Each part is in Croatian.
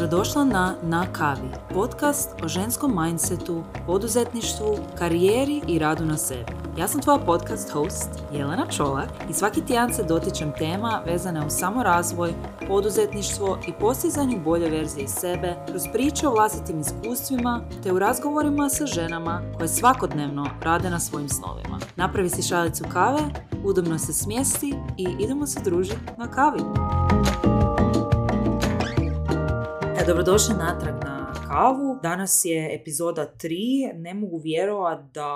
Dobrodošla na Kavi, podcast o ženskom mindsetu, poduzetništvu, karijeri i radu na sebi. Ja sam tvoja podcast host Jelena Čolak i svaki tjedan se dotičem tema vezane uz samorazvoj, poduzetništvo i postizanju bolje verzije sebe kroz priče o vlastitim iskustvima te u razgovorima sa ženama koje svakodnevno rade na svojim snovima. Napravi si šalicu kave, udobno se smjesti i idemo se družiti na kavi. Dobrodošli natrag na kavu. Danas je epizoda 3. Ne mogu vjerovati da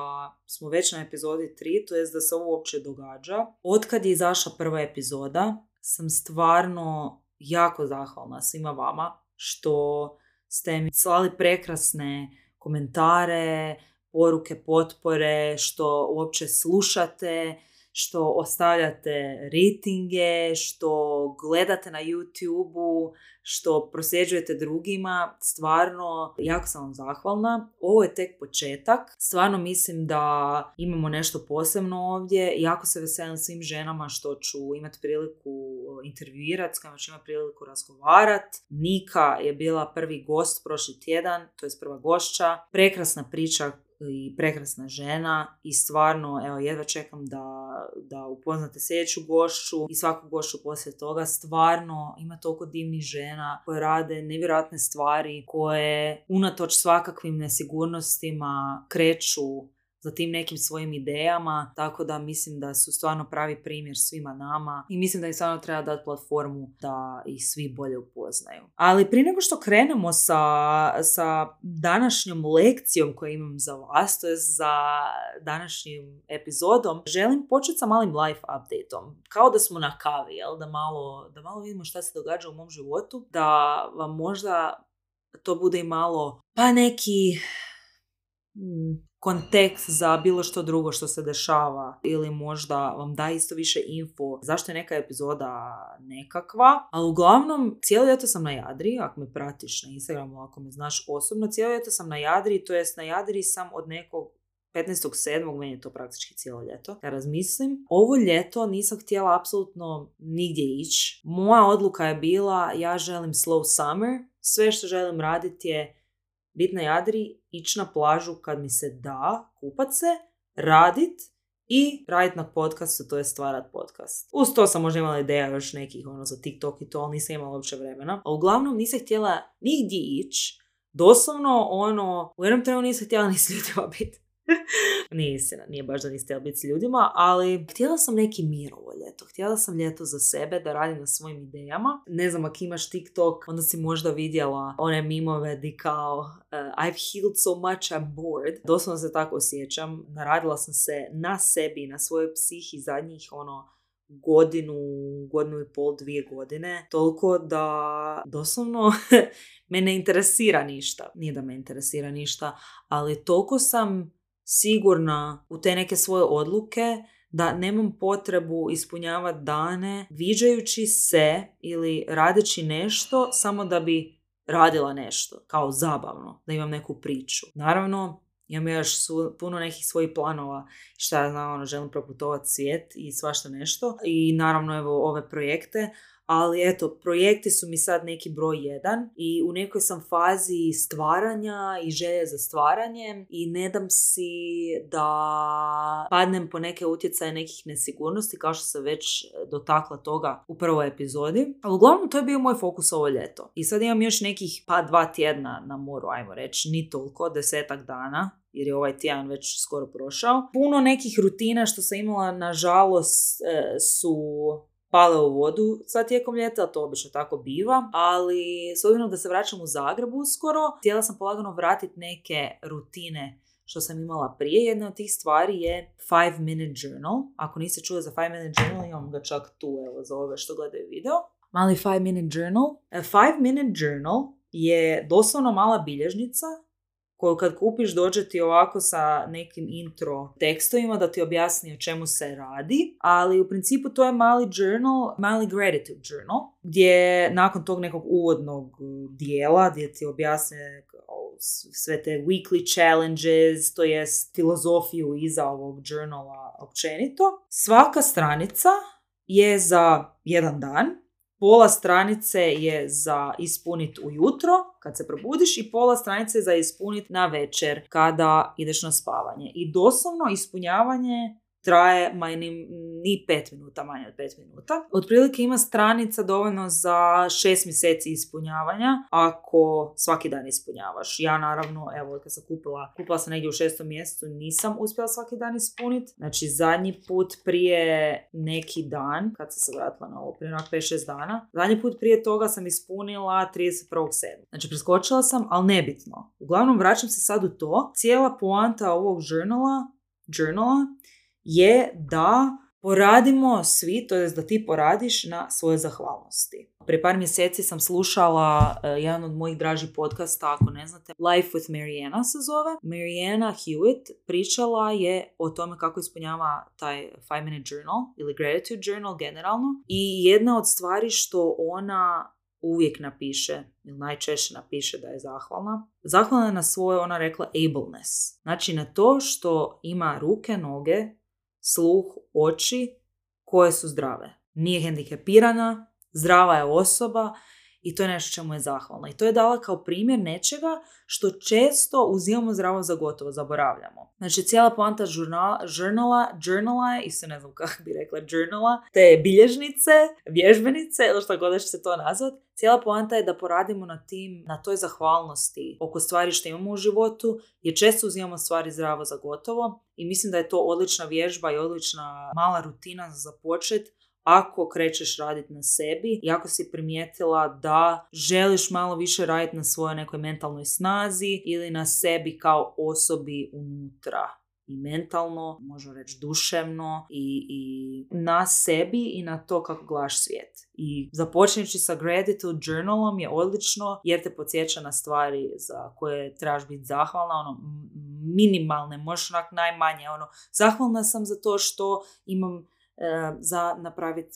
smo već na epizodi 3, to jest da se ovo uopće događa. Otkad je izašla prva epizoda, sam stvarno jako zahvalna svima vama što ste mi slali prekrasne komentare, poruke potpore, što uopće slušate, što ostavljate ratinge, što gledate na YouTube-u, što prosljeđujete drugima. Stvarno, jako sam vam zahvalna. Ovo je tek početak. Stvarno mislim da imamo nešto posebno ovdje. Jako se veselim svim ženama što ću imati priliku intervjuirati, s kojima ću imati priliku razgovarati. Nika je bila prvi gost prošli tjedan, to je prva gošća. Prekrasna priča i prekrasna žena i stvarno, evo, jedva čekam da upoznate sljedeću gošću i svaku gošću poslije toga. Stvarno ima toliko divnih žena koje rade nevjerojatne stvari, koje unatoč svakakvim nesigurnostima kreću za tim nekim svojim idejama, tako da mislim da su stvarno pravi primjer svima nama i mislim da im stvarno treba dati platformu da ih svi bolje upoznaju. Ali prije nego što krenemo sa današnjom lekcijom koju imam za vas, to je za današnjim epizodom, želim početi sa malim life updateom. Kao da smo na kavi, jel? Da malo vidimo šta se događa u mom životu, da vam možda to bude i malo pa neki kontekst za bilo što drugo što se dešava ili možda vam da isto više info zašto je neka epizoda nekakva. Ali uglavnom, cijelo ljeto sam na Jadri, ako me pratiš na Instagramu, ako me znaš osobno, cijelo ljeto sam na Jadri, to jest na Jadri sam od nekog 15.7. meni je to praktički cijelo ljeto. Ja razmislim, ovo ljeto nisam htjela apsolutno nigdje ići. Moja odluka je bila, ja želim slow summer, sve što želim raditi je biti na Jadri, ići na plažu kad mi se da, kupat se, radit i radit na podcastu, to je stvarat podcast. Uz to sam možda imala ideja još nekih za TikTok i to, ali nisam imala uopće vremena. A uglavnom nisam htjela nigdje ići, doslovno u jednom trenu nisam htjela ni s ljudima biti. Nije istina, nije baš da niste htjela biti s ljudima, ali htjela sam neki mir ovo ljeto. Htjela sam ljeto za sebe, da radim na svojim idejama. Ne znam, ako imaš TikTok, onda si možda vidjela one mimove di kao I've healed so much, I'm bored. Doslovno se tako osjećam. Naradila sam se na sebi, na svojoj psihi zadnjih godinu i pol, 2 godine. Toliko da doslovno me ne interesira ništa. Nije da me interesira ništa, ali toliko sam sigurna u te neke svoje odluke da nemam potrebu ispunjavati dane viđajući se ili radeći nešto samo da bi radila nešto, kao zabavno, da imam neku priču. Naravno, imam još puno nekih svojih planova, šta ja znam, želim proputovati svijet i svašta nešto. I naravno, evo, ove projekte. Ali eto, projekti su mi sad neki broj 1 i u nekoj sam fazi stvaranja i želje za stvaranjem i ne dam si da padnem po neke utjecaje nekih nesigurnosti, kao što sam već dotakla toga u prvoj epizodi. Ali uglavnom to je bio moj fokus ovo ljeto. I sad imam još nekih 2 tjedna na moru, ajmo reći, ni toliko, 10 dana. Jer je ovaj tjedan već skoro prošao. Puno nekih rutina što sam imala, nažalost, su pale u vodu sad tijekom ljeta, to obično tako biva, ali s obzirom da se vraćam u Zagreb uskoro, htjela sam polagano vratiti neke rutine što sam imala prije. Jedna od tih stvari je 5-minute journal. Ako niste čuli za 5-minute journal, imam ga čak tu, evo, za ove što gledaju video. Mali 5-minute journal. A 5-minute journal je doslovno mala bilježnica koju kad kupiš dođe ti ovako sa nekim intro tekstovima da ti objasni o čemu se radi, ali u principu to je mali journal, mali gratitude journal, gdje nakon tog nekog uvodnog dijela gdje ti objasne sve te weekly challenges, to jest filozofiju iza ovog journala općenito. Svaka stranica je za jedan dan pola stranice je za ispuniti ujutro, kad se probudiš, i pola stranice je za ispuniti na večer, kada ideš na spavanje. I doslovno ispunjavanje traje ni 5 minuta, manje od 5 minuta. Otprilike ima stranica dovoljno za 6 mjeseci ispunjavanja, ako svaki dan ispunjavaš. Ja naravno, evo, kad sam kupila sam negdje u 6. mjesecu, nisam uspjela svaki dan ispuniti. Znači, zadnji put prije neki dan, kad sam se vratila na ovo, prije 5-6 dana, zadnji put prije toga sam ispunila 31.7. Znači, preskočila sam, ali nebitno. Uglavnom, vraćam se sad u to. Cijela poanta ovog journala je da poradimo svi, to je da ti poradiš na svoje zahvalnosti. Prije par mjeseci sam slušala jedan od mojih dražih podcasta, ako ne znate, Life with Mariana se zove. Mariana Hewitt pričala je o tome kako ispunjava taj 5-minute journal ili gratitude journal generalno. I jedna od stvari što ona uvijek napiše, ili najčešće napiše da je zahvalna. Zahvalna je na svoje, ona rekla, ableness. Znači na to što ima ruke, noge, sluh, oči koje su zdrave. Nije hendikepirana, zdrava je osoba i to je nešto čemu je zahvalna. I to je dala kao primjer nečega što često uzimamo zdravo za gotovo, zaboravljamo. Znači cijela poanta journala, i se ne znam kako bi rekla journala, te bilježnice, vježbenice, ili što god će se to nazvat, cijela poanta je da poradimo na toj zahvalnosti oko stvari što imamo u životu, jer često uzimamo stvari zdravo za gotovo i mislim da je to odlična vježba i odlična mala rutina za započet ako krećeš raditi na sebi i ako si primijetila da želiš malo više raditi na svojoj nekoj mentalnoj snazi ili na sebi kao osobi unutra. I mentalno, možemo reći duševno, i na sebi i na to kako gledaš svijet. I započneći sa gratitude journalom je odlično jer te podsjeća na stvari za koje trebaš biti zahvalna, minimalne, možeš najmanje, zahvalna sam za to što imam za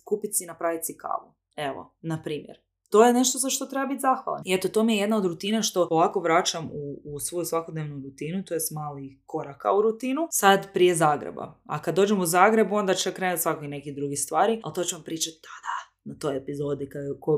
kupiti si i napraviti si kavu. Evo, na primjer. To je nešto za što treba biti zahvalan. I eto, to mi je jedna od rutina što polako vraćam u svoju svakodnevnu rutinu, to je mali koraka u rutinu, sad prije Zagreba. A kad dođem u Zagreb, onda će krenuti svakoj neki drugi stvari, ali to ću vam pričati na toj epizodi,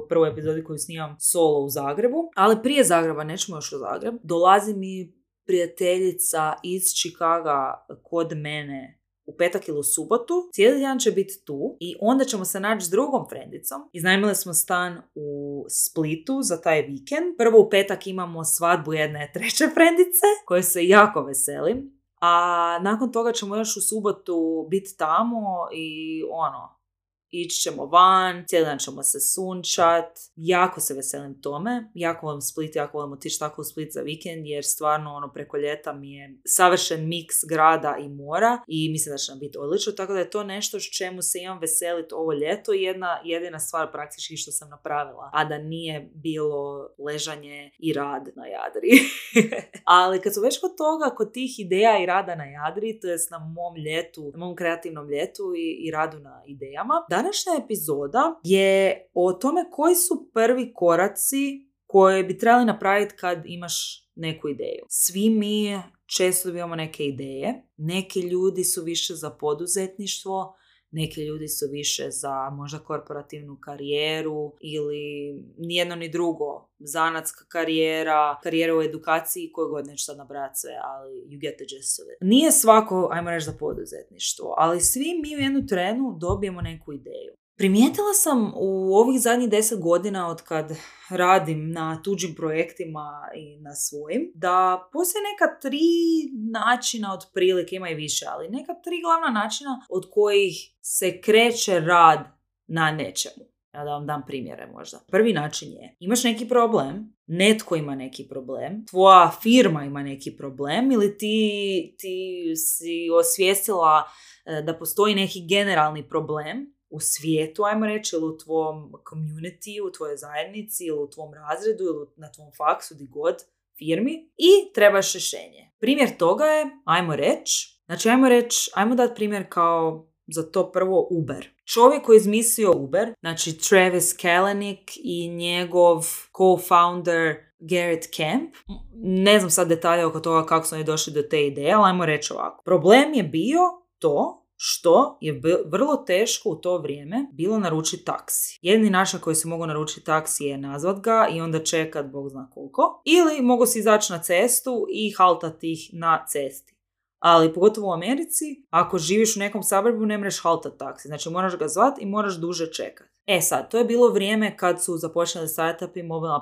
prvoj epizodi koju snimam solo u Zagrebu. Ali prije Zagreba, nećemo još u Zagreb, dolazi mi prijateljica iz Chicaga kod mene u petak ili u subotu, cijeli dan će biti tu i onda ćemo se naći s drugom frendicom. Iznajmili smo stan u Splitu za taj vikend. Prvo u petak imamo svadbu jedne treće frendice, koje se jako veselim. A nakon toga ćemo još u subotu biti tamo i ići ćemo van, cijeli dan ćemo se sunčat. Jako se veselim tome. Jako volim Split, jako volim otići tako u Split za vikend, jer stvarno preko ljeta mi je savršen miks grada i mora i mislim da će nam biti odlično. Tako da je to nešto s čemu se imam veseliti ovo ljeto i jedina stvar praktički što sam napravila, a da nije bilo ležanje i rad na Jadri. Ali kad su već kod toga, kod tih ideja i rada na Jadri, to jest na mom kreativnom ljetu i radu na idejama, današnja epizoda je o tome koji su prvi koraci koje bi trebali napraviti kad imaš neku ideju. Svi mi često dobivamo neke ideje. Neki ljudi su više za poduzetništvo, neki ljudi su više za možda korporativnu karijeru ili nijedno ni drugo. Zanatska karijera u edukaciji, koju god neću sad nabrati sve, ali you get the gist of it. Nije svako, ajmo reći, za poduzetništvo, ali svi mi u jednu trenu dobijemo neku ideju. Primijetila sam u ovih zadnjih 10 godina od kad radim na tuđim projektima i na svojim, da postoje neka 3 načina otprilike, ima i više, ali neka 3 glavna načina od kojih se kreće rad na nečemu. Ja da vam dam primjere možda. Prvi način je, imaš neki problem, netko ima neki problem, tvoja firma ima neki problem ili ti si osvijestila da postoji neki generalni problem u svijetu, ajmo reći, ili u tvom community, u tvojoj zajednici, ili u tvom razredu, ili na tvom faksu, di god, firmi, i trebaš rješenje. Primjer toga je, ajmo dati primjer kao za to prvo Uber. Čovjek koji je izmislio Uber, znači Travis Kalanick i njegov co-founder Garrett Camp, ne znam sad detalje oko toga kako su oni došli do te ideje, ali ajmo reći ovako. Problem je bio to što je vrlo teško u to vrijeme bilo naručiti taksi. Jedini način koji se mogu naručiti taksi je nazvat ga i onda čekat bog zna koliko. Ili mogu si izaći na cestu i haltati ih na cesti. Ali pogotovo u Americi, ako živiš u nekom suburbu ne možeš haltati taksi. Znači moraš ga zvat i moraš duže čekati. Sad, to je bilo vrijeme kad su započeli startupi, mobilne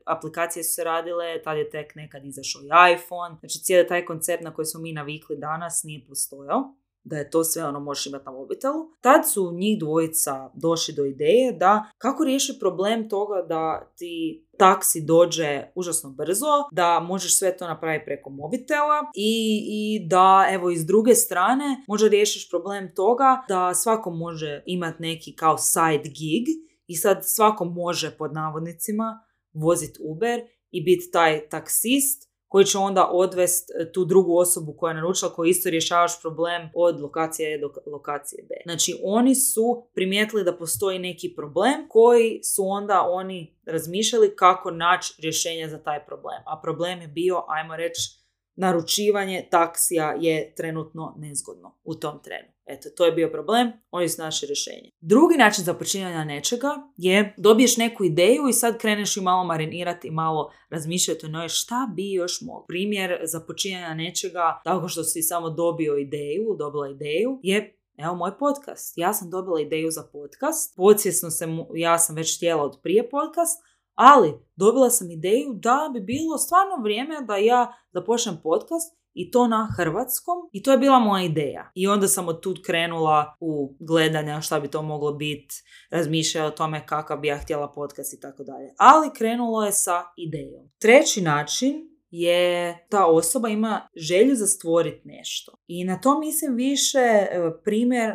aplikacije su se radile, tad je tek nekad izašao i iPhone. Znači cijeli taj koncept na koji smo mi navikli danas nije postojao, da je to sve možeš imati na mobitelu. Tad su njih dvojica došli do ideje da kako riješi problem toga da ti taksi dođe užasno brzo, da možeš sve to napraviti preko mobitela i da evo iz druge strane možda riješiš problem toga da svako može imati neki kao side gig i sad svako može pod navodnicima voziti Uber i biti taj taksist koji će onda odvesti tu drugu osobu koja je naručila, koji isto rješavaš problem od lokacije A do lokacije B. Znači, oni su primijetili da postoji neki problem koji su onda oni razmišljali kako naći rješenje za taj problem. A problem je bio, ajmo reći, naručivanje taksija je trenutno nezgodno u tom trenu. Eto, to je bio problem, oni su naše rješenje. Drugi način započinjanja nečega je dobiješ neku ideju i sad kreneš i malo marinirati i malo razmišljati o njoj šta bi još moglo. Primjer započinjanja nečega, tako što si samo dobila ideju, je evo moj podcast. Ja sam dobila ideju za podcast, podsvjesno ja sam već htjela od prije podcast, ali dobila sam ideju da bi bilo stvarno vrijeme da ja započnem podcast i to na hrvatskom i to je bila moja ideja. I onda sam od tud krenula u gledanja šta bi to moglo biti, razmišljala o tome kakav bi ja htjela podcast i tako dalje. Ali krenulo je sa idejom. Treći način je ta osoba ima želju za stvoriti nešto. I na to mislim više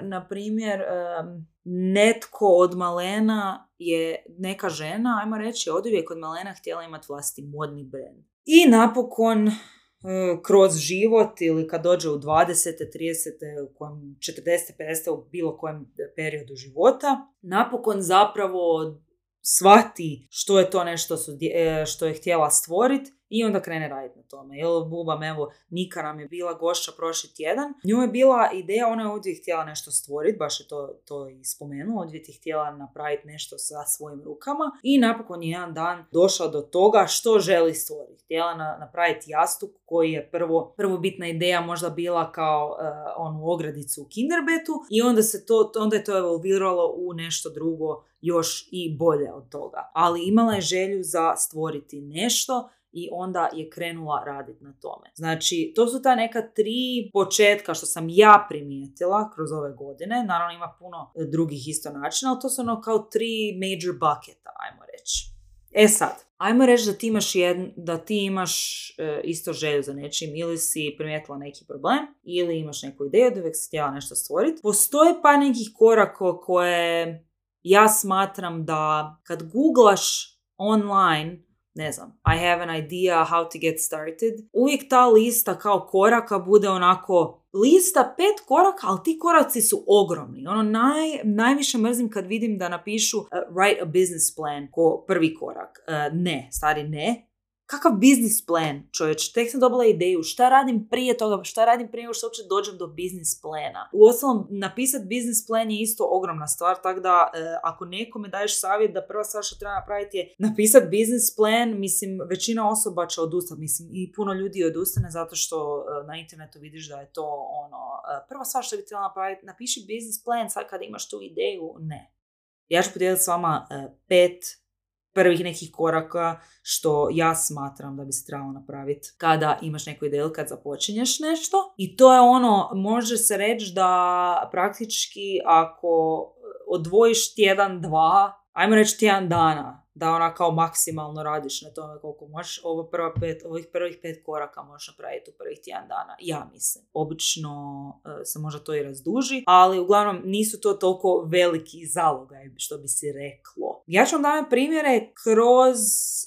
na primjer netko od malena je neka žena, ajmo reći, oduvijek od malena htjela imati vlastiti modni brand. I napokon kroz život ili kad dođe u 20. 30. u kojem 40. 50. u bilo kojem periodu života, napokon zapravo shvati što je to nešto što je htjela stvoriti i onda krene raditi na tome. Jel, bubam, evo, Nika nam je bila gošća prošli tjedan. Nju je bila ideja, ona je ovdje htjela nešto stvoriti, baš je to i spomenula, ovdje je htjela napraviti nešto sa svojim rukama i napokon je jedan dan došla do toga što želi stvoriti. Htjela napraviti jastuk koji je prvo bitna ideja možda bila kao onu ogradicu u Kinderbetu i onda je to evolviralo u nešto drugo još i bolje od toga. Ali imala je želju za stvoriti nešto i onda je krenula raditi na tome. Znači, to su ta neka 3 početka što sam ja primijetila kroz ove godine. Naravno, ima puno drugih isto načina, ali to su kao 3 major bucketa, ajmo reći. Sad, ajmo reći da ti imaš isto želju za nečim, ili si primijetila neki problem, ili imaš neku ideju da uvijek si htjela nešto stvoriti. Postoje pa nekih koraka koje ja smatram da kad googlaš online, ne znam, I have an idea how to get started, uvijek ta lista kao koraka bude onako lista 5 koraka, ali ti koraci su ogromni. Najviše mrzim kad vidim da napišu write a business plan ko prvi korak. Ne. Kakav biznis plan, čovječ? Tek sam dobila ideju. Šta radim prije toga? Šta radim prije nego što uopće dođem do biznis plana? Uostalom, napisati biznis plan je isto ogromna stvar, tako da ako nekome daješ savjet da prva stvar što treba napraviti je napisati biznis plan, mislim, većina osoba će odustati. Mislim, i puno ljudi odustane zato što na internetu vidiš da je to prva stvar što bi trebala napraviti, napiši biznis plan sad kada imaš tu ideju. Ne. Ja ću podijeliti s vama 5 prvih nekih koraka što ja smatram da bi se trebalo napraviti kada imaš neku ideju, kad započinješ nešto. I to je može se reći da praktički ako odvojiš tjedan, 2, ajmo reći tjedan dana, da kao maksimalno radiš na tome koliko možeš, ovih prvih 5 koraka možeš napraviti u prvih tjedan dana, ja mislim. Obično se možda to i razduži, ali uglavnom nisu to toliko veliki zalogaj, što bi si reklo. Ja ću vam dati primjere kroz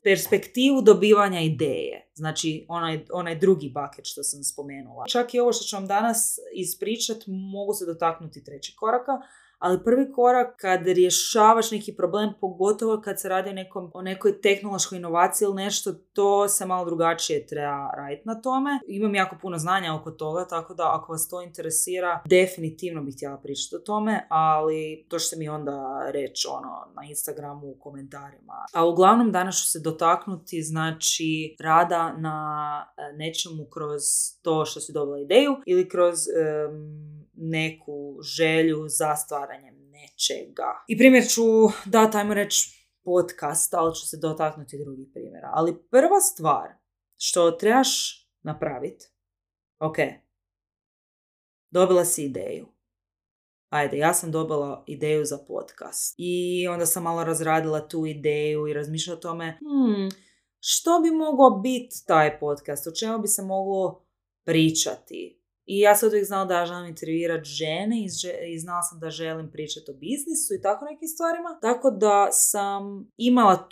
perspektivu dobivanja ideje. Znači, onaj drugi bucket što sam spomenula. Čak i ovo što ću vam danas ispričati, mogu se dotaknuti 3. koraka, ali prvi korak kad rješavaš neki problem, pogotovo kad se radi o nekoj tehnološkoj inovaciji ili nešto, to se malo drugačije treba raditi na tome. Imam jako puno znanja oko toga, tako da ako vas to interesira, definitivno bih htjela pričati o tome, ali to ćete mi onda reći na Instagramu u komentarima. A uglavnom danas ću se dotaknuti znači rada na nečemu kroz to što si dobila ideju ili kroz neku želju za stvaranjem nečega. I primjer ću dati, ajmo reći, podcast, ali ću se dotaknuti drugih primjera. Ali prva stvar što trebaš napraviti, ok, dobila si ideju. Ajde, ja sam dobila ideju za podcast. I onda sam malo razradila tu ideju i razmišljala o tome, što bi mogao biti taj podcast, o čemu bi se moglo pričati. I ja sam uvijek znala da ja želim intervjuirati žene i znala sam da želim pričati o biznisu i tako nekim stvarima. Tako da sam imala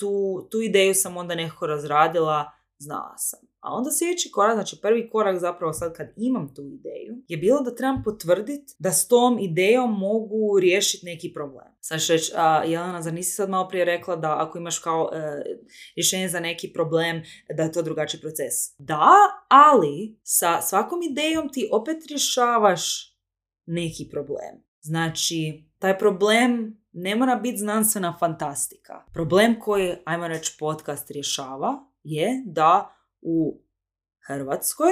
tu ideju, sam onda nekako razradila, znala sam. A onda sljedeći korak, znači prvi korak zapravo sad kad imam tu ideju, je bilo da trebam potvrditi da s tom idejom mogu riješiti neki problem. Sad ću reći, Jelena, zar nisi sad malo prije rekla da ako imaš kao rješenje za neki problem, da je to drugačiji proces? Da, ali sa svakom idejom ti opet rješavaš neki problem. Znači, taj problem ne mora biti znanstvena fantastika. Problem koji, ajmo reći, podcast rješava je da u Hrvatskoj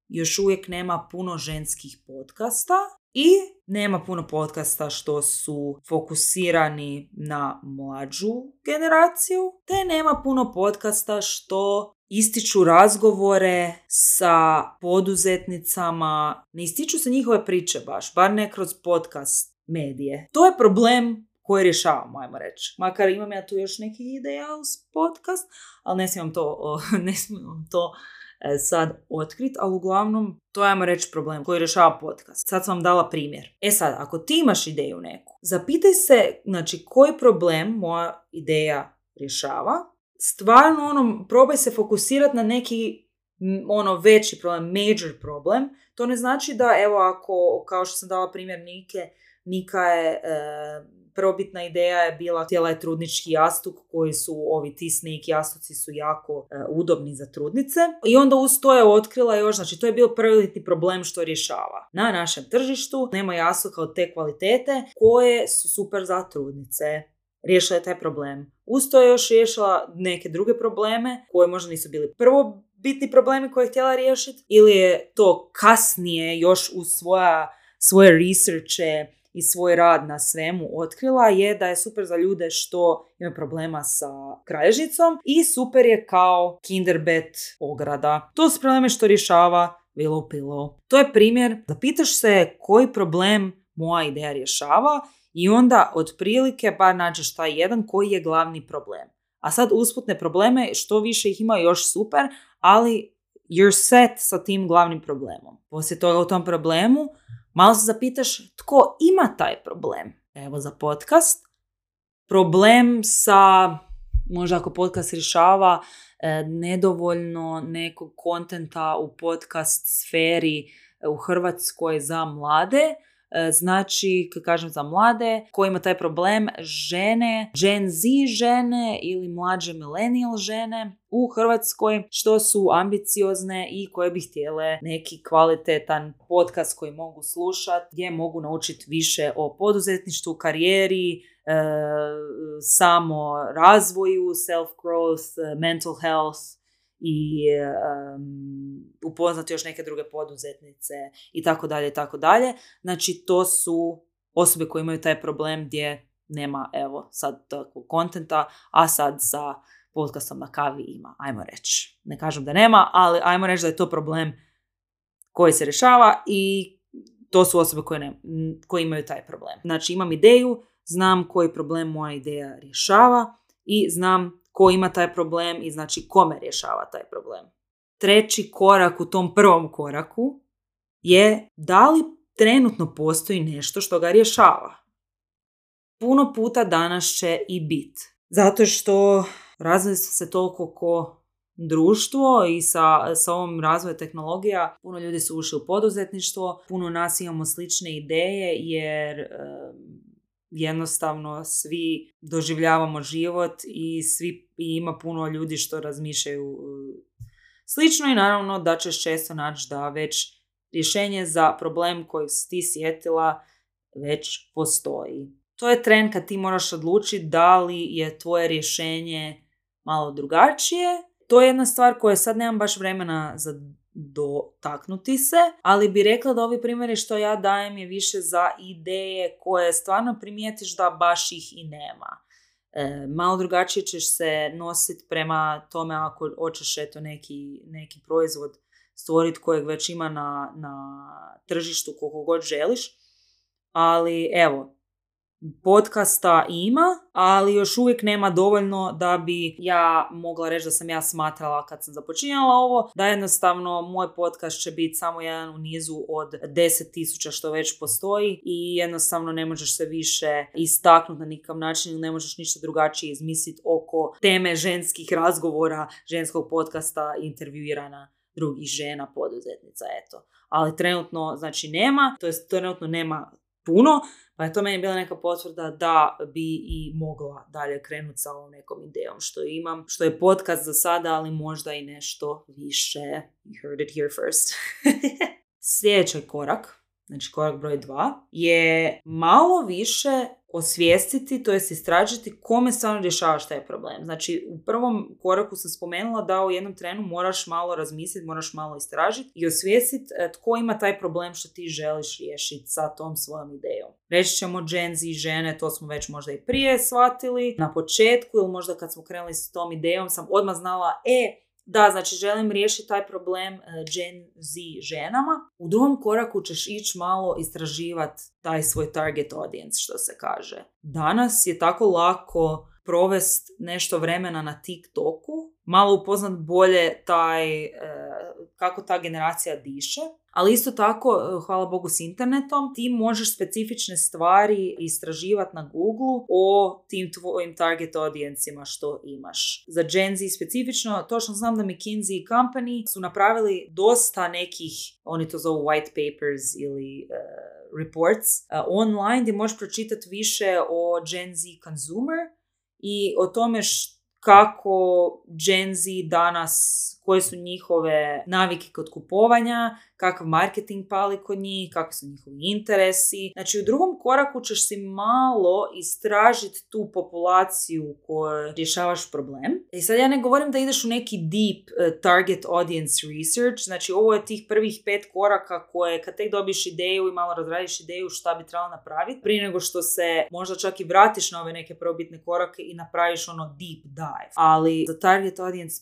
još uvijek nema puno ženskih podcasta i nema puno podcasta što su fokusirani na mlađu generaciju, te nema puno podcasta što ističu razgovore sa poduzetnicama, ne ističu se njihove priče baš, bar ne kroz podcast medije. To je problem koje rješavamo, ajmo reći. Makar imam ja tu još neki ideja uz podcast, ali ne smijem to sad otkriti, ali uglavnom to je, ajmo reći, problem koji rješava podcast. Sad sam vam dala primjer. Sad, ako ti imaš ideju neku, zapitaj se, znači, koji problem moja ideja rješava. Stvarno, probaj se fokusirati na neki veći problem, major problem. To ne znači da, evo, ako, kao što sam dala primjer Nika je prvobitna ideja je bila, htjela je trudnički jastuk koji su, ovi T-Snake jastuci su jako udobni za trudnice. I onda uz to je otkrila još, znači to je bio prvobitni problem što rješava. Na našem tržištu nema jastuka od te kvalitete koje su super za trudnice. Riješila je taj problem. Uz to je još riješila neke druge probleme koje možda nisu bili prvobitni problemi koje je htjela riješiti, ili je to kasnije još uz svoje researche i svoj rad na svemu otkrila, je da je super za ljude što imaju problema sa kralježnicom i super je kao Kinderbed ograda. To su probleme što rješava Willow Pillow. To je primjer da pitaš se koji problem moja ideja rješava i onda otprilike bar nađeš taj jedan koji je glavni problem. A sad usputne probleme, što više ih ima još super, ali you're set sa tim glavnim problemom. Poslije toga u tom problemu malo se zapitaš tko ima taj problem. Evo za podcast. Problem sa, možda ako podcast rješava nedovoljno nekog kontenta u podcast sferi u Hrvatskoj za mlade. Znači, kad kažem za mlade, koji ima taj problem, žene, Gen Z žene ili mlađe millennial žene u Hrvatskoj, što su ambiciozne i koje bi htjele neki kvalitetan podcast koji mogu slušati, gdje mogu naučiti više o poduzetništvu, karijeri, samo razvoju, self-growth, mental health i upoznati još neke druge poduzetnice i tako dalje i tako dalje. Znači, to su osobe koje imaju taj problem gdje nema, evo, sad takvog kontenta, a sad sa podcastom na kavi ima, ajmo reći. Ne kažem da nema, ali ajmo reći da je to problem koji se rješava i to su osobe koje imaju taj problem. Znači, imam ideju, znam koji problem moja ideja rješava i znam ko ima taj problem i znači kome rješava taj problem. Treći korak u tom prvom koraku je da li trenutno postoji nešto što ga rješava. Puno puta danas će i bit. Zato što razvili su se toliko ko društvo i sa ovom razvojem tehnologija puno ljudi su ušli u poduzetništvo, puno nas imamo slične ideje jer jednostavno svi doživljavamo život i ima puno ljudi što razmišljaju slično i naravno da ćeš često naći da već rješenje za problem kojeg si ti sjetila već postoji. To je tren kad ti moraš odlučiti da li je tvoje rješenje malo drugačije. To je jedna stvar koja sad nemam baš vremena za dotaknuti se, ali bi rekla da ovi primjeri što ja dajem je više za ideje koje stvarno primijetiš da baš ih i nema. Malo drugačije ćeš se nositi prema tome ako hoćeš neki proizvod stvoriti kojeg već ima na tržištu koliko god želiš. Ali evo, podcasta ima, ali još uvijek nema dovoljno da bi ja mogla reći da sam ja smatrala kad sam započinjala ovo, da jednostavno moj podcast će biti samo jedan u nizu od 10,000 što već postoji i jednostavno ne možeš se više istaknuti na nikakav način, ne možeš ništa drugačije izmisliti oko teme ženskih razgovora, ženskog podcasta, intervjuirana drugih žena, poduzetnica, eto. Ali trenutno, znači nema, to jest trenutno nema puno, pa je to meni bila neka potvrda da bi i mogla dalje krenuti sa ovom nekom idejom što imam, što je podcast za sada, ali možda i nešto više. You heard it here first. Sljedeći korak, znači korak broj 2, je malo više osvijestiti, to jest istražiti kome stvarno rješavaš taj problem. Znači, u prvom koraku sam spomenula da u jednom trenu moraš malo razmisliti, moraš malo istražiti i osvijestiti tko ima taj problem što ti želiš riješiti sa tom svojom idejom. Reći ćemo Gen Z žene, to smo već možda i prije shvatili na početku ili možda kad smo krenuli s tom idejom sam odmah znala, da, znači želim riješiti taj problem Gen Z ženama. U drugom koraku ćeš ići malo istraživati taj svoj target audience, što se kaže. Danas je tako lako provesti nešto vremena na TikToku, malo upoznat bolje kako ta generacija diše, ali isto tako, hvala Bogu s internetom, ti možeš specifične stvari istraživati na Google o tim tvojim target audijencima što imaš. Za Gen Z specifično, točno znam da McKinsey Company su napravili dosta nekih, oni to zovu white papers ili reports, online gdje možeš pročitati više o Gen Z consumer i o tome kako Gen Z danas, koje su njihove navike kod kupovanja, kakav marketing pali kod njih, kakvi su njihovi interesi. Znači u drugom koraku ćeš si malo istražiti tu populaciju koju rješavaš problem. I sad ja ne govorim da ideš u neki deep target audience research, znači ovo je tih prvih 5 koraka koje kad tek dobiš ideju i malo razradiš ideju šta bi trebalo napraviti, prije nego što se možda čak i vratiš na ove neke prvobitne korake i napraviš ono deep dive. Ali za target audience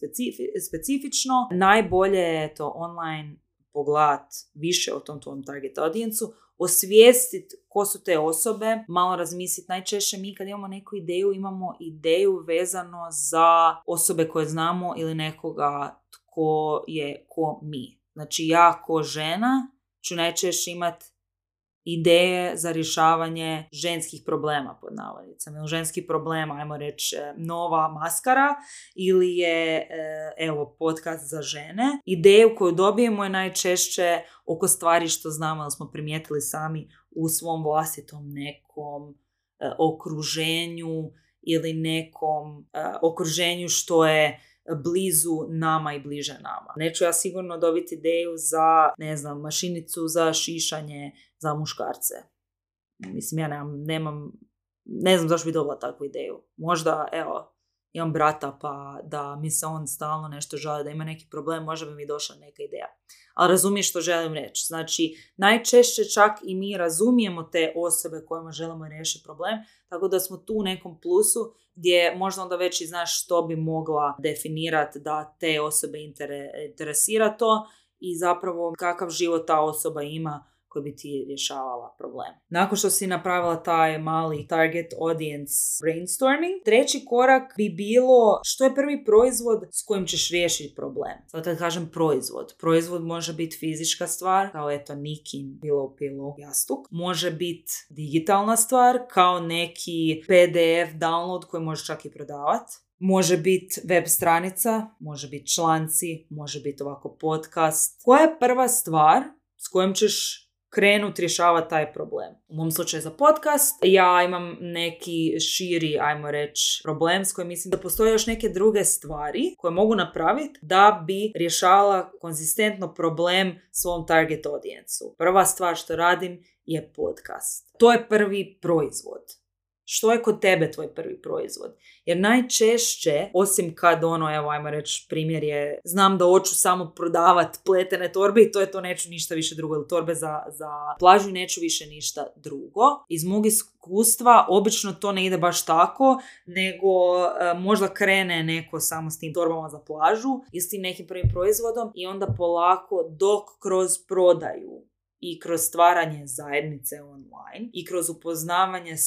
specifično najbolje je to online pogledat više o tom tvojom target audijencu, osvijestiti ko su te osobe, malo razmisliti. Najčešće mi kad imamo neku ideju, imamo ideju vezano za osobe koje znamo ili nekoga tko je ko mi. Znači ja ko žena ću najčešće imati ideje za rješavanje ženskih problema pod navodnicama. Ili ženski problem, ajmo reći, nova maskara ili je podcast za žene. Ideju koju dobijemo je najčešće oko stvari što znamo da smo primijetili sami u svom vlastitom nekom okruženju ili nekom okruženju što je blizu nama i bliže nama. Neću ja sigurno dobiti ideju za, mašinicu za šišanje za muškarce. Mislim, ja ne znam zašto bi dobila takvu ideju. Možda, imam brata pa da mi se on stalno nešto žali, da ima neki problem, možda bi mi došla neka ideja. Ali razumiješ što želim reći. Znači, najčešće čak i mi razumijemo te osobe kojima želimo riješiti problem, tako da smo tu u nekom plusu gdje možda onda već i znaš što bi mogla definirati da te osobe interesira to i zapravo kakav život ta osoba ima koji bi ti rješavala problem. Nakon što si napravila taj mali target audience brainstorming, treći korak bi bilo što je prvi proizvod s kojim ćeš riješiti problem. Sad kad kažem proizvod može biti fizička stvar, kao Nikin pillow jastuk. Može biti digitalna stvar, kao neki PDF download koji možeš čak i prodavati. Može biti web stranica, može biti članci, može biti ovako podcast. Koja je prva stvar s kojom ćeš krenuti rješavati taj problem. U mom slučaju za podcast, ja imam neki širi, ajmo reći, problem s kojim mislim da postoje još neke druge stvari koje mogu napraviti da bi rješavala konzistentno problem svom target audijencu. Prva stvar što radim je podcast. To je prvi proizvod. Što je kod tebe tvoj prvi proizvod? Jer najčešće, osim kad ajmo reći, primjer je, znam da hoću samo prodavati pletene torbe i to je to, neću ništa više drugo, ili torbe za plažu i neću više ništa drugo. Iz mog iskustva, obično to ne ide baš tako, nego možda krene neko samo s tim torbama za plažu i s tim nekim prvim proizvodom i onda polako dok kroz prodaju i kroz stvaranje zajednice online i kroz upoznavanje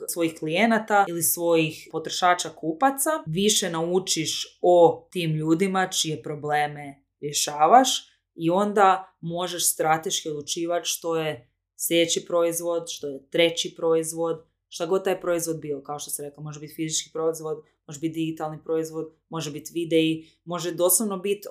svojih klijenata ili svojih potrošača kupaca više naučiš o tim ljudima čije probleme rješavaš i onda možeš strateški odlučivati što je sljedeći proizvod, što je treći proizvod, šta god taj proizvod bio. Kao što sam rekla, može biti fizički proizvod, može biti digitalni proizvod, može biti videi, može doslovno biti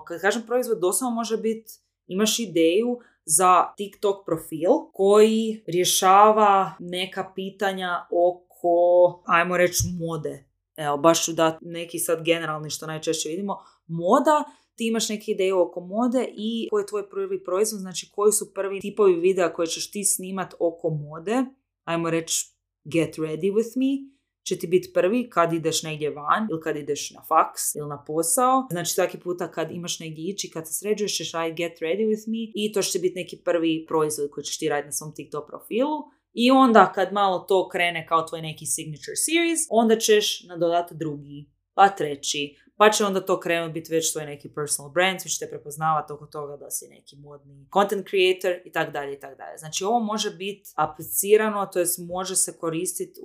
kad kažem proizvod, doslovno može biti, imaš ideju za TikTok profil koji rješava neka pitanja oko, ajmo reći, mode. Evo, baš ću dati neki sad generalni što najčešće vidimo. Moda, ti imaš neke ideje oko mode i koji je tvoj prvi proizvod, znači koji su prvi tipovi videa koje ćeš ti snimat oko mode. Ajmo reći, get ready with me će ti biti prvi kad ideš negdje van ili kad ideš na faks ili na posao. Znači svaki puta kad imaš negdje ići, kad se sređuješ ćeš raditi get ready with me i to će biti neki prvi proizvod koji ćeš ti raditi na svom TikTok profilu. I onda kad malo to krene kao tvoj neki signature series, onda ćeš nadodati drugi, pa treći, pa će onda to krenuti biti već tvoj neki personal brand, svi će te prepoznavati oko toga da si neki modni content creator i tak dalje i tak dalje. Znači ovo može biti aplicirano, to jest može se koristiti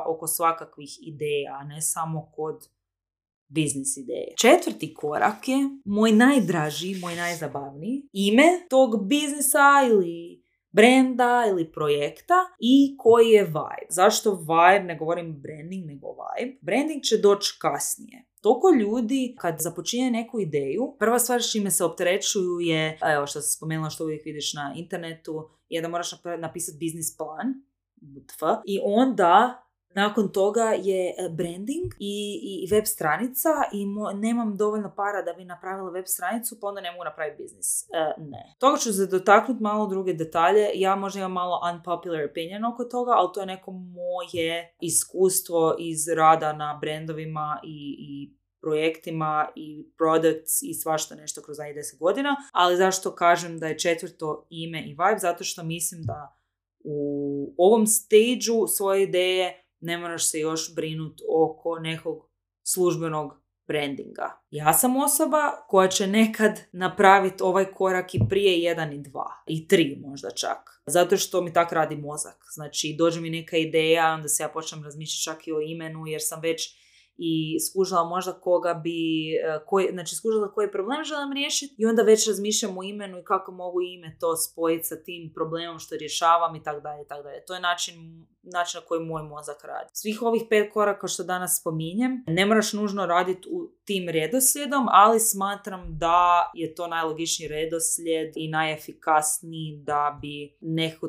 oko svakakvih ideja, a ne samo kod biznis ideje. Četvrti korak je moj najdraži, moj najzabavniji, ime tog biznisa ili brenda ili projekta i koji je vibe. Zašto vibe? Ne govorim branding, nego vibe. Branding će doći kasnije. Toliko ljudi kad započinje neku ideju, prva stvar s čime se opterećuju je, evo što sam spomenula što uvijek vidiš na internetu, je da moraš napisati biznis plan i onda nakon toga je branding i web stranica i nemam dovoljno para da bi napravila web stranicu, pa onda ne mogu napraviti biznis. Ne. Toga ću se dotaknuti malo druge detalje. Ja možda imam malo unpopular opinion oko toga, ali to je neko moje iskustvo iz rada na brandovima i projektima i products i svašta nešto kroz 10 godina. Ali zašto kažem da je četvrto ime i vibe? Zato što mislim da u ovom stageu svoje ideje ne moraš se još brinuti oko nekog službenog brandinga. Ja sam osoba koja će nekad napraviti ovaj korak i prije 1 i 2 i 3 možda čak. Zato što mi tak radi mozak. Znači dođe mi neka ideja, onda se ja počnem razmišljati čak i o imenu jer sam već i skužila možda skužila koji problem želim riješiti i onda već razmišljam o imenu i kako mogu ime to spojiti sa tim problemom što rješavam i tako dalje, tako dalje. To je način na koji moj mozak radi. Svih ovih 5 koraka što danas spominjem, ne moraš nužno raditi u tim redoslijedom, ali smatram da je to najlogičniji redoslijed i najefikasniji da bi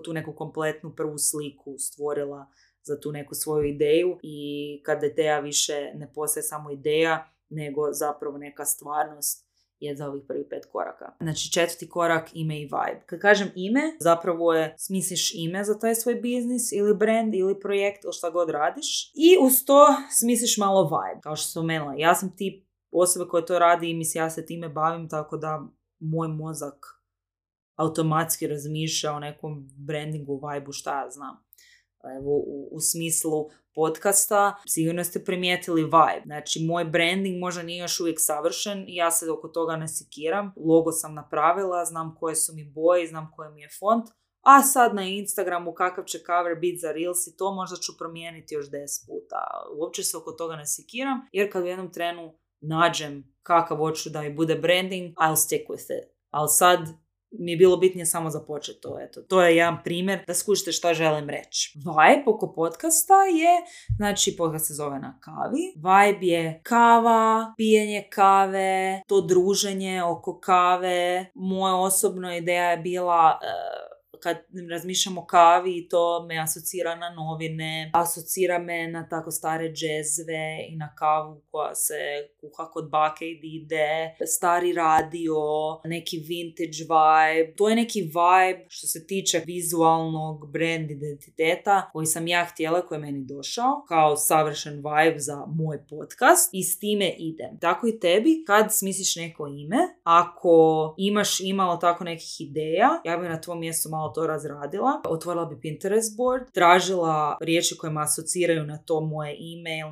tu neku kompletnu prvu sliku stvorila za tu neku svoju ideju i kada ideja više ne postaje samo ideja, nego zapravo neka stvarnost je za ovih prvih 5 koraka. Znači 4. korak, ime i vibe. Kad kažem ime, zapravo je smisliš ime za taj svoj biznis ili brand ili projekt ili šta god radiš i uz to smisliš malo vibe. Kao što sam spomenula, ja sam tip osobe koja to radi i mislim ja se time bavim, tako da moj mozak automatski razmišlja o nekom brandingu, vibe-u, šta ja znam. Evo, u smislu podcasta sigurno ste primijetili vibe. Znači, moj branding možda nije još uvijek savršen i ja se oko toga ne sekiram. Logo sam napravila, znam koje su mi boje, znam koji mi je font. A sad na Instagramu kakav će cover biti za Reels i to možda ću promijeniti još 10 puta. Uopće se oko toga ne sekiram, jer kad u jednom trenu nađem kakav hoću da mi bude branding, I'll stick with it. Ali sad mi je bilo bitnije samo započeti to. Eto, to je jedan primjer da skušite što želim reći. Vibe oko podcasta je, znači podcast se zove Na kavi. Vibe je kava, pijenje kave, to druženje oko kave. Moja osobna ideja je bila kad razmišljam o kavi, to me asocira na novine, asocira me na tako stare džezve i na kavu koja se kuha kod bake i dide, stari radio, neki vintage vibe. To je neki vibe što se tiče vizualnog brand identiteta koji sam ja htjela, koji je meni došao kao savršen vibe za moj podcast i s time idem. Tako i tebi, kad smisliš neko ime, ako imaš imalo tako nekih ideja, ja bi na tvom mjestu malo to razradila, otvorila bi Pinterest board, tražila riječi koje me asociraju na to moje ime ili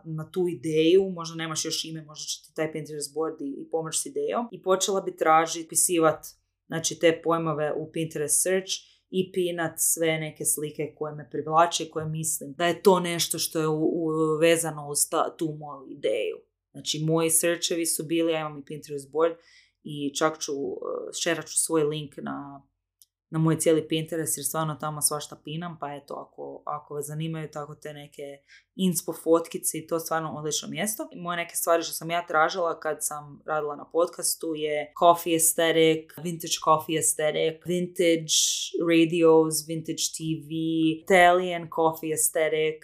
na tu ideju, možda nemaš još ime, možda će ti taj Pinterest board i pomoći s idejom, i počela bi tražiti, pisivati znači te pojmove u Pinterest search i pinat sve neke slike koje me privlače i koje mislim da je to nešto što je vezano uz tu moju ideju. Znači, moji searchevi su bili, ja imam i Pinterest board i čak šerat ću svoj link na moj cijeli Pinterest jer stvarno tamo svašta pinam, pa eto, ako vas zanimaju tako te neke inspo fotkice, i to stvarno odlično mjesto. Moje neke stvari što sam ja tražila kad sam radila na podcastu je coffee aesthetic, vintage coffee aesthetic, vintage radios, vintage TV, Italian coffee aesthetic,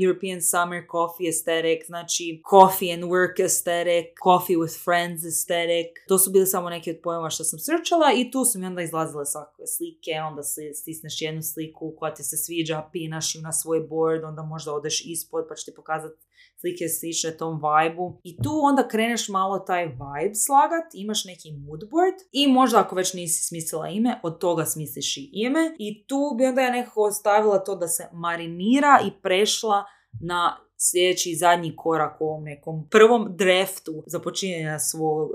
European summer coffee aesthetic, znači coffee and work aesthetic, coffee with friends aesthetic. To su bili samo neki od pojmova što sam searchala i tu su mi onda izlazile svakakve slike, onda stisneš jednu sliku koja ti se sviđa, pinaš ju na svoj board, onda možda odeš ispod pa će ti pokazati slike slične tom vibe-u. I tu onda kreneš malo taj vibe slagat, imaš neki moodboard i možda ako već nisi smislila ime, od toga smisliš i ime. I tu bi onda ja nekako ostavila to da se marinira i prešla na sljedeći zadnji korak u ovom nekom prvom draftu započinjenja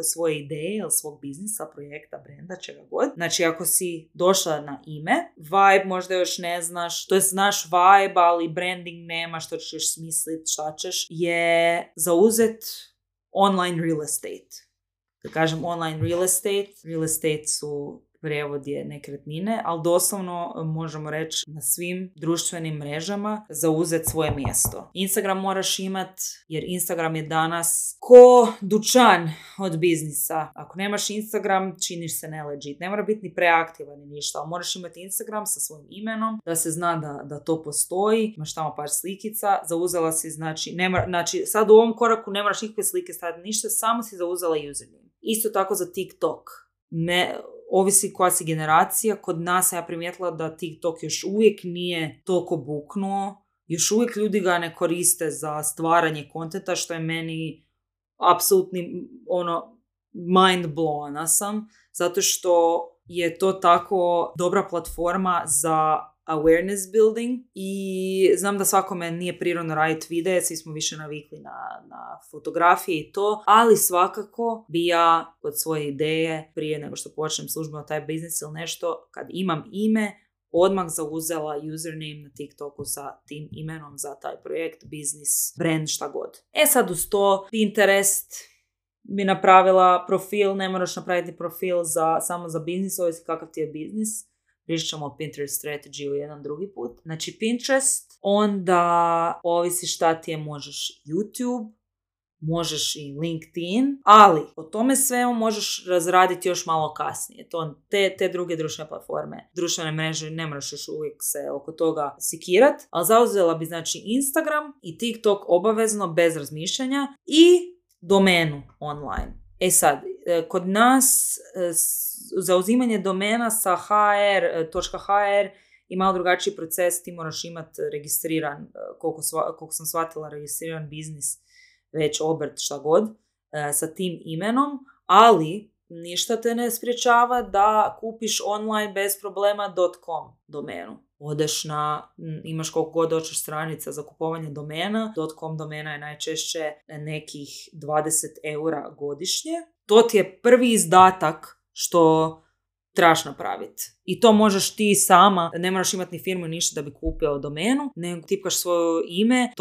svoje ideje ili svog biznisa, projekta, brenda, čega god. Znači, ako si došla na ime, vibe možda još ne znaš, to je znaš vibe, ali branding nema, što ćeš još smisliti, šta ćeš, je zauzet online real estate. Da kažem online real estate su prijevod je nekretnine, ali doslovno možemo reći na svim društvenim mrežama zauzeti svoje mjesto. Instagram moraš imat, jer Instagram je danas ko dućan od biznisa. Ako nemaš Instagram, činiš se nelegit. Ne mora biti ni preaktivan ni ništa, ali moraš imati Instagram sa svojim imenom, da se zna da to postoji. Imaš tamo par slikica, zauzela si, znači sad u ovom koraku ne moraš nikakve slike staviti ništa, samo si zauzela username. Isto tako za TikTok. Ovisi koja si generacija, kod nas ja primijetila da TikTok još uvijek nije toliko buknuo, još uvijek ljudi ga ne koriste za stvaranje kontenta, što je meni apsolutni mind blowna sam, zato što je to tako dobra platforma za awareness building i znam da svakome nije prirodno raditi videe, svi smo više navikli na fotografije i to, ali svakako bi ja od svoje ideje prije nego što počnem službeno taj biznis ili nešto, kad imam ime, odmah zauzela username na TikToku sa tim imenom za taj projekt, biznis, brand, šta god. Sad uz to Pinterest bi napravila profil, ne moraš napraviti profil samo za biznis, ovisi kakav ti je biznis. Pričat ćemo o Pinterest strategiju jedan drugi put. Znači Pinterest, onda ovisi šta ti je, možeš YouTube, možeš i LinkedIn, ali o tome svemu možeš razraditi još malo kasnije. Te druge društvene platforme, društvene mreže, ne moraš još uvijek se oko toga sikirat, ali zauzela bi znači Instagram i TikTok obavezno bez razmišljanja i domenu online. Sad, kod nas zauzimanje domena sa hr.hr i malo drugačiji proces, ti moraš imati registriran, koliko sam shvatila, registriran biznis, već obrt, šta god, sa tim imenom, ali ništa te ne sprječava da kupiš online bez problema .com domenu. Odeš imaš koliko god hoćeš stranica za kupovanje domena, .com domena je najčešće nekih 20 eura godišnje. To ti je prvi izdatak što trebaš napraviti. I to možeš ti sama, ne moraš imati ni firmu ništa da bi kupio domenu, nego tipkaš svoje ime,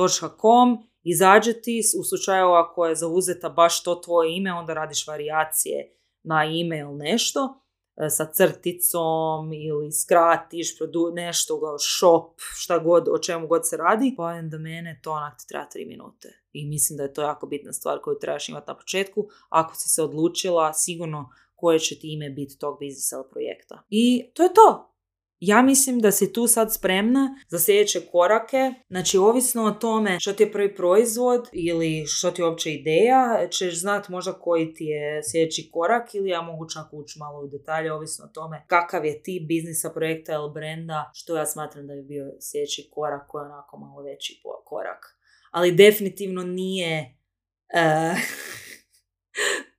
.com, izađe ti, u slučaju ako je zauzeta baš to tvoje ime, onda radiš varijacije na ime ili nešto, sa crticom ili skratiš nešto, shop, šta god, o čemu god se radi, pa do mene to onak ti treba 3 minute. I mislim da je to jako bitna stvar koju trebaš imati na početku. Ako si se odlučila, sigurno koje će ti ime biti tog biznisa ili projekta. I to je to. Ja mislim da si tu sad spremna za sljedeće korake. Znači, ovisno o tome što ti je prvi proizvod ili što ti je uopće ideja, ćeš znati možda koji ti je sljedeći korak ili ja mogu čak ući malo u detalje, ovisno o tome kakav je tip biznisa, projekta ili brenda, što ja smatram da bi bio sljedeći korak koji je onako malo veći korak. Ali definitivno nije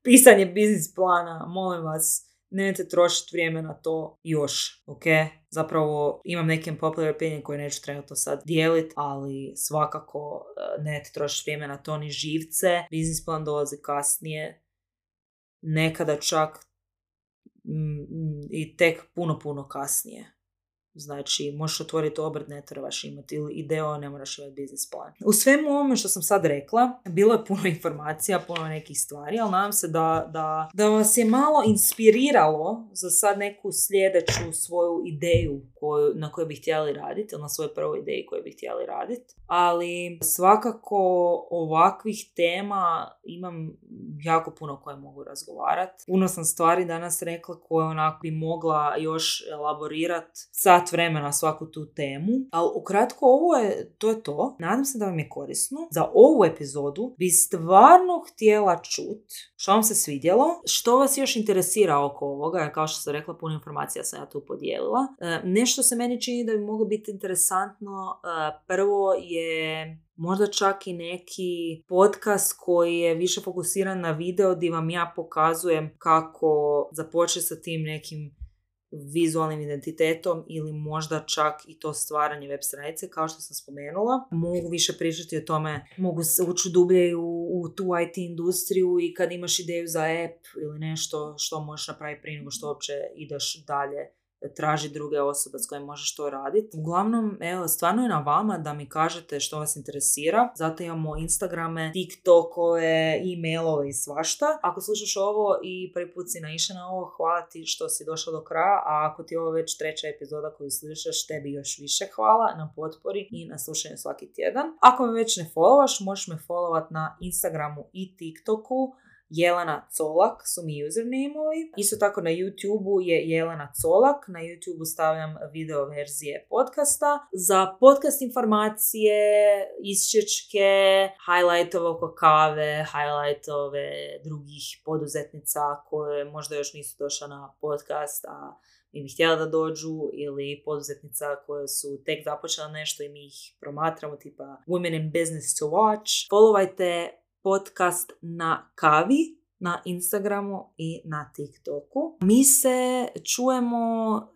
pisanje biznis plana, molim vas. Nemojte trošiti vrijeme na to još, ok? Zapravo imam neke popular opinion koje neću trenutno sad dijeliti, ali svakako nemojte trošiti vrijeme na to ni živce. Biznis plan dolazi kasnije, nekada čak i tek puno kasnije. Znači, možeš otvoriti obrt, ne trebaš imati ili ideju, ne moraš imati biznis plan. U svemu ovome što sam sad rekla, bilo je puno informacija, puno nekih stvari, ali nadam se da vas je malo inspiriralo za sad neku sljedeću svoju ideju na kojoj bi htjeli raditi, ili na svojoj prvoj ideji koju bi htjeli raditi. Ali svakako ovakvih tema imam jako puno koje mogu razgovarati. Puno sam stvari danas rekla koje onako bi mogla još elaborirati sat vremena svaku tu temu. Ali ukratko to je to. Nadam se da vam je korisno. Za ovu epizodu bi stvarno htjela čuti što vam se svidjelo, što vas još interesira oko ovoga, jer kao što sam rekla, puno informacija sam ja tu podijelila. Nešto se meni čini da bi moglo biti interesantno. Prvo je možda čak i neki podcast koji je više fokusiran na video gdje vam ja pokazujem kako započeti sa tim nekim vizualnim identitetom ili možda čak i to stvaranje web stranice, kao što sam spomenula. Mogu više pričati o tome, mogu se ući dublje u tu IT industriju i kad imaš ideju za app ili nešto što možeš napraviti prije nego što uopće ideš dalje traži druge osobe s kojima možeš to raditi. Uglavnom, evo, stvarno je na vama da mi kažete što vas interesira. Zato imamo Instagrame, TikTokove, e-mailove i svašta. Ako slušaš ovo i prvi put si naišao na ovo, hvala ti što si došla do kraja, a ako ti je ovo već 3. epizoda koju slušaš, tebi još više hvala na potpori i na slušanju svaki tjedan. Ako me već ne followaš, možeš me followat na Instagramu i TikToku. Jelena Colak su mi username-ovi. Isto tako na YouTube-u je Jelena Colak. Na YouTube-u stavljam video verzije podcasta. Za podcast informacije, isčečke, highlightove oko kave, highlightove drugih poduzetnica koje možda još nisu došla na podcast, a mi bi htjela da dođu, ili poduzetnica koje su tek započela nešto i mi ih promatramo, tipa Women in Business to Watch. Followajte podcast na kavi, na Instagramu i na TikToku. Mi se čujemo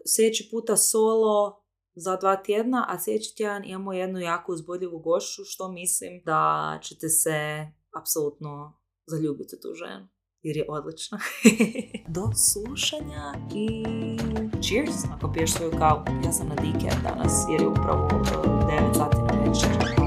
sljedeći puta solo za 2 tjedna, a sljedeći tjedan imamo jednu jako uzbudljivu gošću, što mislim da ćete se apsolutno zaljubiti u tu ženu, jer je odlična. Do slušanja i cheers ako piješ svoju kavu. Ja sam na decaf danas jer je upravo 9 sati na večer.